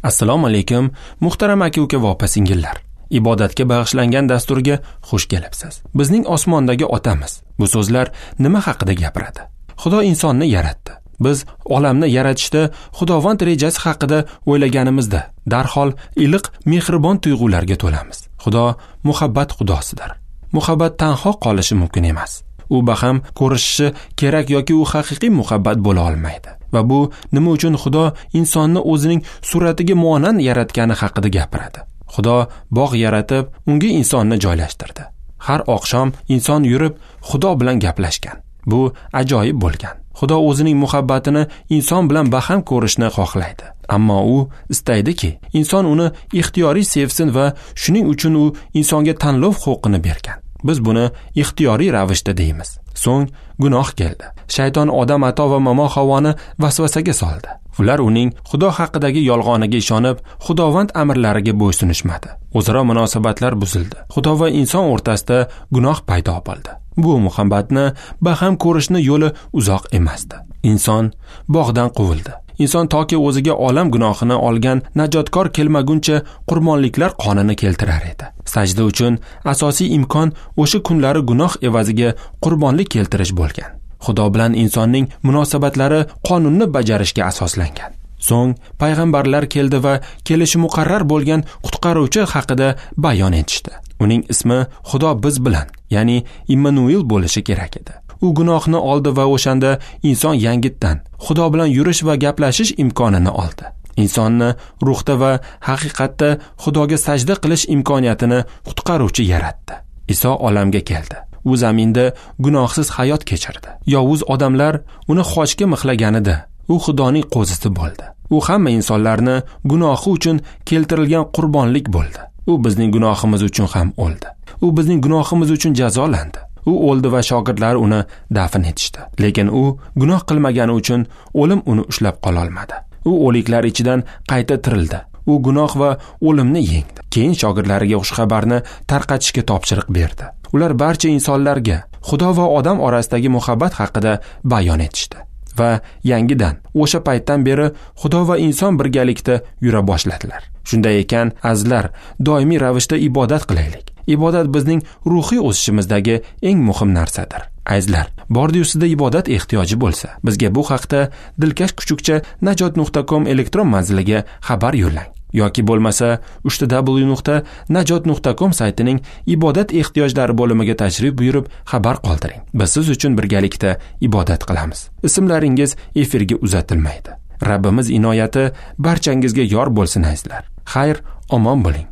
Assalomu alaykum, muhtaram aka-uka va opa-singillar. Ibodatga bag'ishlangan dasturga xush kelibsiz. Bizning osmondagi otamiz. Bu so'zlar nima haqida gapiradi? Xudo insonni yaratdi. Biz olamni yaratishda Xudovand rejasi haqida o'ylaganimizda darhol iliq, mehribon tuyg'ularga to'lamiz. Xudo muhabbat xudosidir. Muhabbat tanho qolishi mumkin emas. U baham ko'rishishi kerak yoki u haqiqiy muhabbat bo'la olmaydi. Va bu nima uchun Xudo insonni o'zining suratiga muonand yaratgani haqida gapiradi. Xudo bog' yaratib, unga insonni joylashtirdi. Har oqshom inson yurib Xudo bilan gaplashgan. Bu ajoyib bo'lgan. Xudo o'zining muhabbatini inson bilan baham ko'rishni xohlaydi. Ammo u istaydiki, inson uni ixtiyoriy sevsin va shuning uchun u insonga tanlov huquqini bergan. Biz buni ixtiyoriy ravishda deymiz. So'ng gunoh keldi. Shayton Odam ato va momo Havoni vasvasaga soldi. Ular uning Xudo haqidagi yolg'oniga ishonib, Xudovand amrlariga bo'ysunishmadi. O'zaro munosabatlar buzildi. Xudo va inson o'rtasida gunoh paydo bo'ldi. Bu muhabbatni baham ko'rishni yo'li uzoq emasdi. Inson bog'dan quvildi. Inson toki o'ziga olam gunohini olgan najotkor kelmaguncha qurbonliklar qonini keltirar edi. Sajda uchun asosiy imkon o'sha kunlari gunoh evaziga qurbonlik keltirish bo'lgan. Xudo bilan insonning munosabatlari qonunni bajarishga asoslangan. So'ng payg'ambarlar keldi va kelishi muqarrar bo'lgan qutqaruvchi haqida bayon etishdi. Uning ismi Xudo biz bilan, ya'ni Immanuel bo'lishi kerak edi. U gunohni oldi va o'shanda inson yangitdan Xudo bilan yurish va gaplashish imkonini oldi. Insonni ruhda va haqiqatda Xudoga sajda qilish imkoniyatini qutqaruvchi yaratdi. Iso olamga keldi. U zaminda gunohsiz hayot kechirdi. Yovuz odamlar uni xochga mixlaganida u Xudoning qo'zisi bo'ldi. U hamma insonlarni gunohi uchun keltirilgan qurbonlik bo'ldi. U bizning gunohimiz uchun ham o'ldi. U bizning gunohimiz uchun jazolandi. U o'ldi va shogirdlari uni dafn etishdi. Lekin u gunoh qilmagani uchun o'lim uni ushlab qola olmadi. U o'liklar ichidan qayta tirildi. U gunoh va o'limni yengdi. Keyin shogirdlariga xushxabarni tarqatishga topshiriq berdi. Ular barcha insonlarga Xudo va odam orasidagi muhabbat haqida bayon etishdi. Va yangidan o'sha paytdan beri Xudo va inson birgalikda yura boshladilar. Shunday ekan, azizlar, doimiy ravishda ibodat qilaylik. Ibodat bizning ruhiy o'sishimizdagi eng muhim narsadir. Azizlar, bordi-yu sizda ibodat ehtiyoji bo'lsa, bizga bu haqda dilkash kuchukcha najot.com elektron manziliga xabar yo'llang yoki bo'lmasa www.najot.com saytining ibodat ehtiyojlari bo'limiga tashrif buyurib xabar qoldiring. Biz siz uchun birgalikda ibodat qilamiz. Ismlaringiz efirga uzatilmaydi. Rabbimiz inoyati barchangizga yor bo'lsin azizlar. Xayr, omon bo'ling.